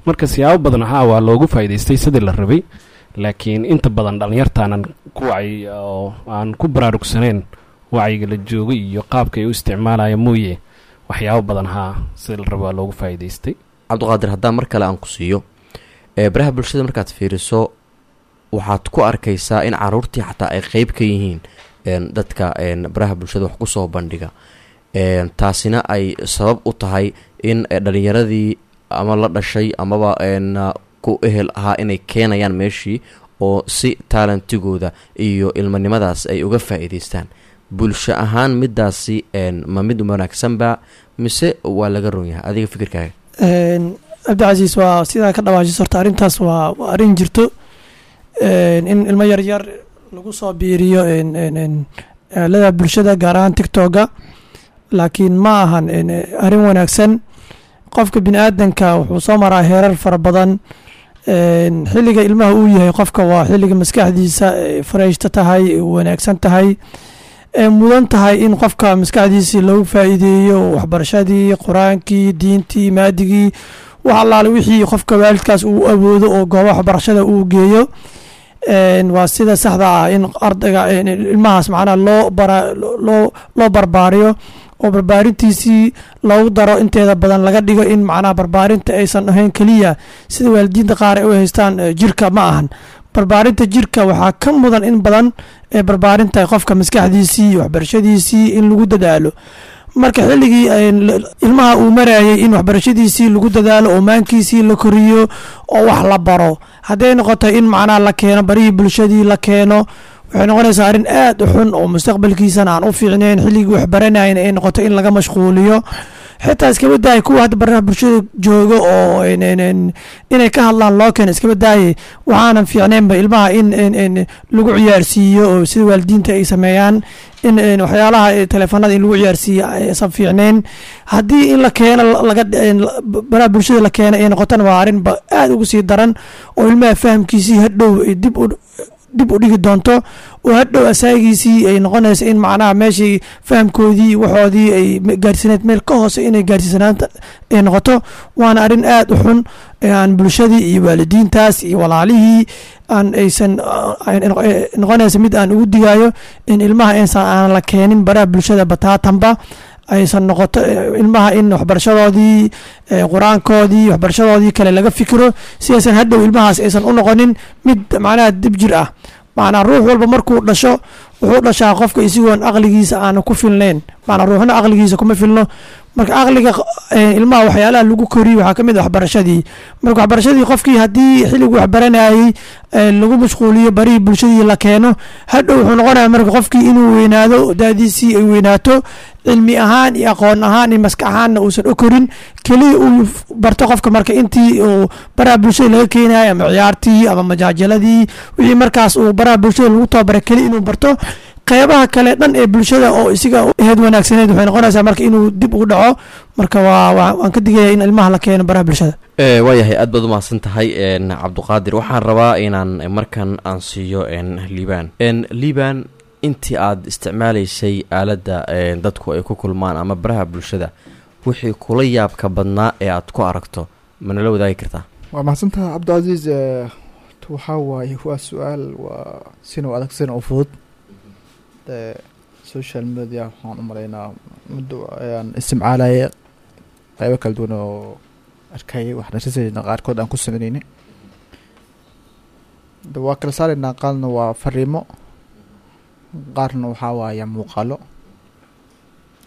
Marka siyaabo badan haa waa loogu faa'iidaystay sidii la rabay, laakiin inta badan dhalinyartaanan ku wacyi oo aan ku baraarugsanayn wacyiga la joogay iyo qaabka ay u isticmaalaya mooye, waxyaabo badan haa sidii la rabay waa loogu faa'iidaystay. Cabdiqaadir, haddaan mar kale aan ku siiyo, baraha bulshada markaad fiiriso waxaad ku arkaysaa in caruurtii xataa ay qeyb ka yihiin dadka baraha bulshada wax kusoo bandhiga, taasina ay sabab u tahay in dhalinyaradii ama la dhashay amaba ku ehel ahaa inay keenayaan meeshii oo si taalantigooda iyo ilmanimadaas ay uga faa'iidaystaan. Bulsho ahaan midaasi ma mid wanaagsanba mise waa laga ron yahay, adiga fikirkaaga? Cabdicasiis, waa sidaa ka dhawaajis. Horta arrintaas waa arrin jirto, in ilmo yar yar lagu soo biiriyo aalada bulshada, gaar ahaan TikToka, laakiin ma ahan arrin wanaagsan. Qofka bini aadanka wuxuu soo maraa heerar fara badan. Xilliga ilmaha uu yahay qofka waa xilliga maskaxdiisa fareyshta tahay, wanaagsan tahay, mudan tahay in qofka maskaxdiisii loogu faa'iideeyo waxbarashadii, qur-aankii, diintii, maadigii, wax allaale wixii qofka waalidkaas uu awoodo oo goobaha waxbarashada uu geeyo. Waa sida saxda ah in ardayga ilmahaas macnaha loo bara loo barbaariyo oo barbaarintiisii loogu daro inteeda badan laga dhigo in macnaha barbaarinta aysan ahayn keliya sida waalidiinta qaar ay u haystaan jirka. Ma ahan barbaarinta jirka, waxaa ka mudan in badan ee barbaarinta qofka maskaxdiisii iyo waxbarashadiisii in lagu dadaalo. Marka xilligii ilmaha uu marayay in waxbarashadiisii lagu dadaalo oo maankiisii la koriyo oo wax la baro, hadday noqoto in macnaha la keeno barihii bulshadii la keeno, waxay noqonaysaa arrin aad u xun oo mustaqbalkiisana aan u fiicnayn. Xilligii waxbaranayn ay noqoto in laga mashquuliyo. Xitaa iskaba daaya kuwa hadda baraha bulshada jooga oo inay ka hadlaan loo keeno, iskaba daayay, waxaanan fiicnaynba ilmaha in lagu ciyaarsiiyo oo sida waalidiinta ay sameeyaan in waxyaalaha teleefanada in lagu ciyaarsiiyo aysan fiicnayn. Haddii in la keeno laga baraha bulshada la keeno ay noqotona, waa arrin ba aad ugu sii daran oo ilmaha fahamkiisii hadhow dib u dhigi doonto, oo hadhow asaagiisii ay noqonayso in macnaha meeshii fahamkoodii waxoodii ay gaarsiineed meel ka hoose inay gaarsiisanaanta ay noqoto. Waana arrin aad u xun ee aan bulshadii iyo waalidiintaas iyo walaalihii aan aysan noqonaysa mid aan ugu digayo in ilmaha aysan aan la keenin baraha bulshada bataatanba, aysan noqoto ilmaha in waxbarashadoodii, qur-aankoodii, waxbarashadoodii kale laga fikiro, si aysan hadhow ilmahaas aysan u noqonin mid macnaha dib jir ah. Macnaa ruux walba markuu dhasho wuxuu dhashaa qofka isagoon aqligiisa aanu ku filnayn, macnaa ruuxna aqligiisa kuma filno. Marka aqliga ilmaha waxyaalaha lagu koriyo waxaa kamid ah waxbarashadii. Marka waxbarashadii qofkii haddii xilligu waxbaranayay lagu mashquuliyo barihii bulshadii la keeno, hadhow wuxuu noqonaya marka qofkii inuu weynaado, daadiisii ay weynaato, cilmi ahaan iyo aqoon ahaan iyo maskax ahaanna uusan u korin. Keliya uu barto qofka marka intii uu baraha bulshada laga keenayo, ama ciyaartii ama majaajaladii, wixii markaas uu baraha bulshada lagu tababaray keliya inuu barto. Qeybaha kale dhan ee bulshada oo isiga aheyd wanaagsaneed waxay noqonaysaa marka inuu dib ugu dhaco. Marka waan ka digaya in ilmaha la keeno baraha bulshada. Waayahay, aad baad umahadsan tahay Cabduqaadir. Waxaan rabaa inaan markan aan siiyo Liibaan. Liibaan, intii aad isticmaalaysay aaladda dadku ay ku kulmaan ama baraha bulshada, wixii kula yaabka badnaa ee aad ku aragto ma nala wadaagi kartaa? Waa mahadsantaha, Cabdicasiis. Waxaa waaye waa su-aal waa sina u adag sina u fudud. Social media waxaan u malaynaa muddo ayaan isticmaalayay, qaybo kala duwan oo arkayay, wax nasasayna qaarkood aan ku sameynayna. De waa kala saaraynaa, qaarna waa fariimo, qaarna waxaa waaya muuqaalo.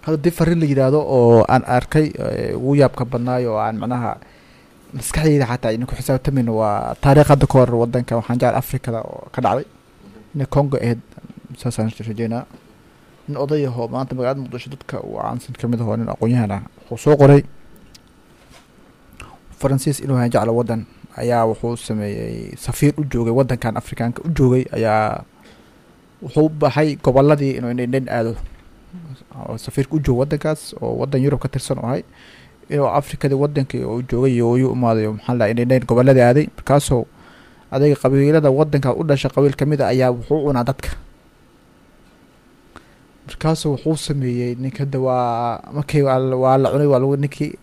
Hadda dii fariin la yidhaahdo oo aan arkay ugu yaabka badnaayo oo aan macnaha maskaxdayda xataa ayna ku xisaabtamayno waa taariikh hadda ka hor wadanka, waxaan jecel Afrikada oo ka dhacday, inay Congo ahayd saasaan rajeynaa. Nin oday ahoo maanta magaalada Muqdisho dadka uu caansan kamid ahoo nin aqoon-yahan ah wuxuu soo qoray Faransiis inuu hayan jeclo wadan ayaa wuxuu sameeyey safiir u joogay wadankan Afrikaanka u joogay ayaa wuxuu baxay goboladii inuu indhendhen aado, oo safiirka u joogo wadankaas oo wadan Yurub ka tirsan oo ahay inuu Afrikadii wadankii oo joogay iyo uu imaaday, maxaa la indhendhen goboladii aaday. Markaasoo adayga qabiilada wadanka u dhashay qabiil kamid a ayaa wuxuu cunaa dadka. Markaasuu wuxuu sameeyey ninka hadda waa markii waa la cunay, waa lagu ninkii.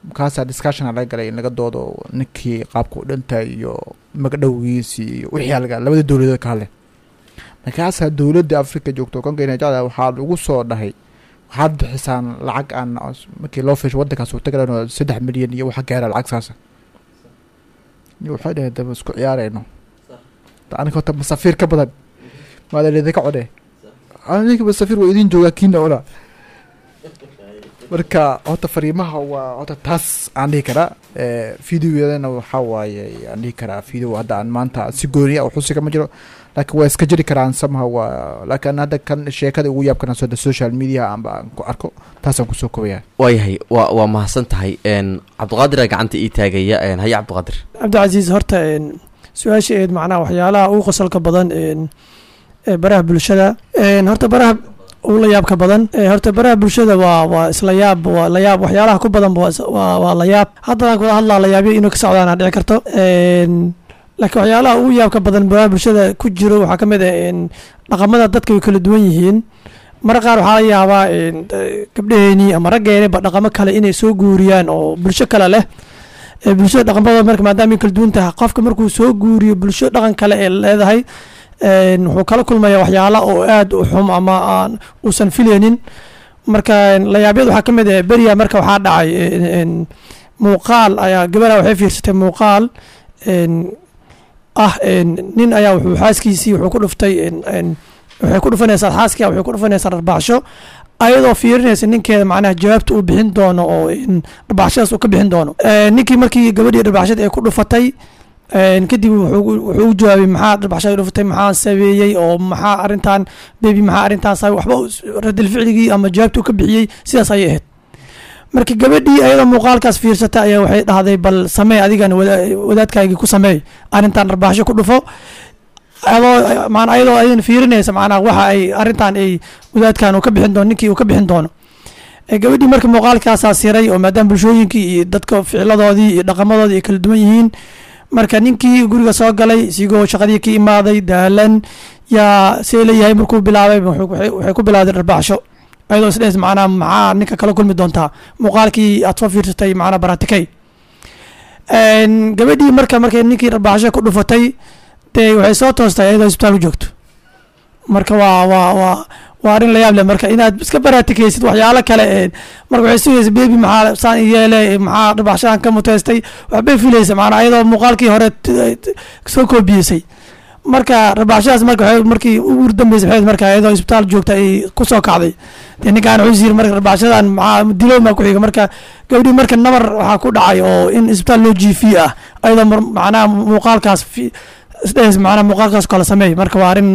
Markaasaa discussion laga galay in laga doodo ninkii qaabka u dhintay iyo magdhowgiisii iyo wixii laga labada dowladood ka hadleen. Markaasaa dowladda Afrika joogto Congo jecla waxaa lagu soo dhahay waxaad bixisaan lacag aan markii loo fiisho wadankaas uu tagay 3 milyan iyo waxa gaara lacag saasa. Waxay dhaheen daba isku ciyaarayno aniga horta masafiir ka badan maada idinka codhe, ninka masafiir waa idin joogaa kiina cuna. Marka horta fariimaha waa horta taas aan dhihi karaa. Videoyadana waxaa waaye aan dhihi karaa video hadda aan maanta si gooniya xusiga ma jiro, laakiin waa iska jiri karaan somehow waa, laakiin hadda kan sheekada ugu yaabkana soo social media aanba aan ku arko taasaan kusoo kobaya. Waayahay, waa mahadsan tahay. Cabdiqaadira gacanta ii taagaya. Haye Cabdiqaadir. Cabdicasiis, horta su-aasha eed macnaha waxyaalaha ugu qosolka badan ee baraha bulshada, horta baraha ugu la yaabka badan, horta baraha bulshada waa isla yaab, waa la yaab, waxyaalaha ku badan waa la yaab. Haddana kula hadlaa la yaabyo inuu ka socdaan dhici karto, laakiin waxyaalaha ugu yaabka badan baraha bulshada ku jiro waxaa ka mid ah dhaqamada dadka way kala duwan yihiin. Marka qaar waxaa laga yaabaa gabdhaheenii ama raggeeniba dhaqamo kale inay soo guuriyaan oo bulsho kale leh. Bulshada dhaqamadooda marka maadaama ay kala duwan tahay, qofka markuu soo guuriyo bulsho dhaqan kale ee leedahay, wuxuu kala kulmaya waxyaala oo aad u xum ama aan uusan filaynin. Marka layaabyada waxaa ka mid ah beriya marka waxaa dhacay muuqaal ayaa gabadha waxay fiirsatay muuqaal ah nin ayaa wuxuu xaaskiisii wuxuu ku dhuftay, waxay ku dhufanaysaa xaaskiia, waxay ku dhufanaysaa dharbaaxsho, ayadoo fiirinaysa ninkeeda macnaha jawaabta uu bixin doono oo dharbaaxshadaas uu ka bixin doono. Ninkii markii gabadhii dharbaaxshada ay ku dhufatay kadib wuxuu u jawaabay, maxaa dharbaaxshada dhufatay, maxaa sameeyey oo maxaa arrintan baby, maxaa arrintan sabay? Waxba radil ficligii ama jawaabta uu ka bixiyey sidaas ayay ahayd. Marka gabadhii ayadoo muuqaalkaas fiirsata ayaa waxay dhahday, bal samee adigana wadaadkaagii ku sameey arrintan, dharbaaxsho ku dhufo, adoo maana ayadoo ayadana fiirinaysa macnaha waxa ay arrintan ay wadaadkan uu ka bixin doono, ninkii uu ka bixin doono. Gabadhii marka muuqaalkaasaa siray oo maadaama bulshooyinkii iyo dadka ficiladoodii iyo dhaqamadoodii ay kala duwan yihiin. Marka ninkii guriga soo galay isigoo shaqadii ka imaaday daalan, yaa see leeyahay, markuu bilaabay waxay ku bilowday dharbaaxsho, ayadoo isdhehes macnaha maxaa ninka kala kulmi doontaa muuqaalkii aad soo fiirsatay, macnaha baratikay. Gabadhii marka markay ninkii dharbaaxsho ku dhufatay dee waxay soo toostay ayadoo isbitaal u joogto. Marka waa arrin la yaab leh marka inaad iska baraatikaysid waxyaalo kale. Marka waxay sugaysa baby maxaa saan yeele, maxaa dharbaaxshadan ka muteystay, waxbay filaysa macnaa ayadoo muuqaalkii hore soo koobiyeysay. Marka rabaaxshadaas marka waxay markii ugu dambeysay waxay marka iyadoo isbitaal joogta ay kusoo kacday. Dee ninkaan wuxuu yiri marka rabaaxshadan maxaa dilow maa ku xiga. Marka gabadhii marka nabar waxaa ku dhacay oo in isbitaal loo jiifiye ah, ayadoo macnaha muuqaalkaas isdhehays, macnaha muuqaalkaas kala sameey. Marka waa arrin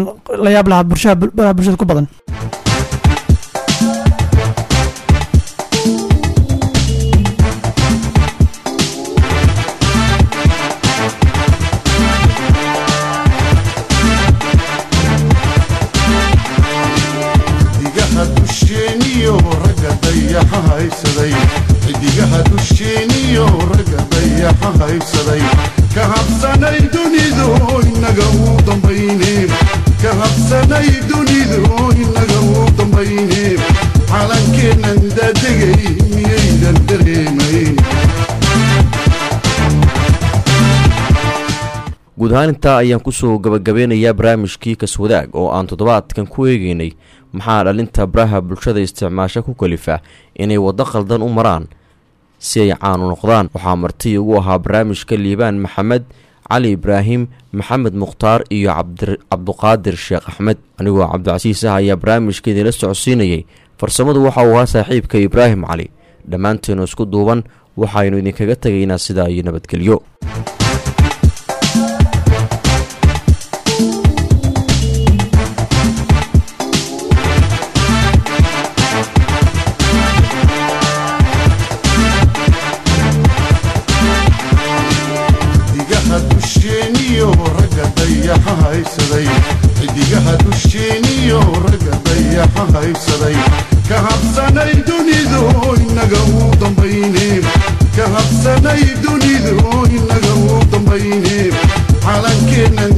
la yaab lahaa bulshada, baraha bulshada ku badan. Xidigaha dusheeniyo ragga dayaxa haysaday, xidigaha dusheeniyo ragga dayaxa haybsaday, ka habsanay dunidu inaga u dambayne, ka habsanay dunidu inaga u dambayne, calankeennan daadegay miyaydan dareemayn? Guud ahaan intaa ayaan kusoo gabagabeynayaa barnaamijkii Kaswadaag oo aan toddobaadkan ku eegeynay maxaa dhalinta baraha bulshada isticmaasha ku kalifa inay waddo qaldan u maraan si ay caan u noqdaan. Waxaa marti ugu ahaa barnaamijka Liibaan Maxamed Cali, Ibraahim Maxamed Mukhtaar iyo Cabduqaadir Sheekh Axmed. Anigoo Cabdicasiis ah ayaa barnaamijka idinla socodsiinayay. Farsamadu waxa uu ahaa saaxiibka Ibraahim Cali. Dhammaanteenu isku duuban waxaynu idinkaga tegaynaa sidaa iyo nabadgelyo. Xidigaha dusheeniyo ragga dayaxa haysaday, xidigaha dusheeniyo ragga dayaxa haybsaday, ka habsanay dunidu inaga u dambayne, ka habsanay dunidu inaga u dambayne, calankeennan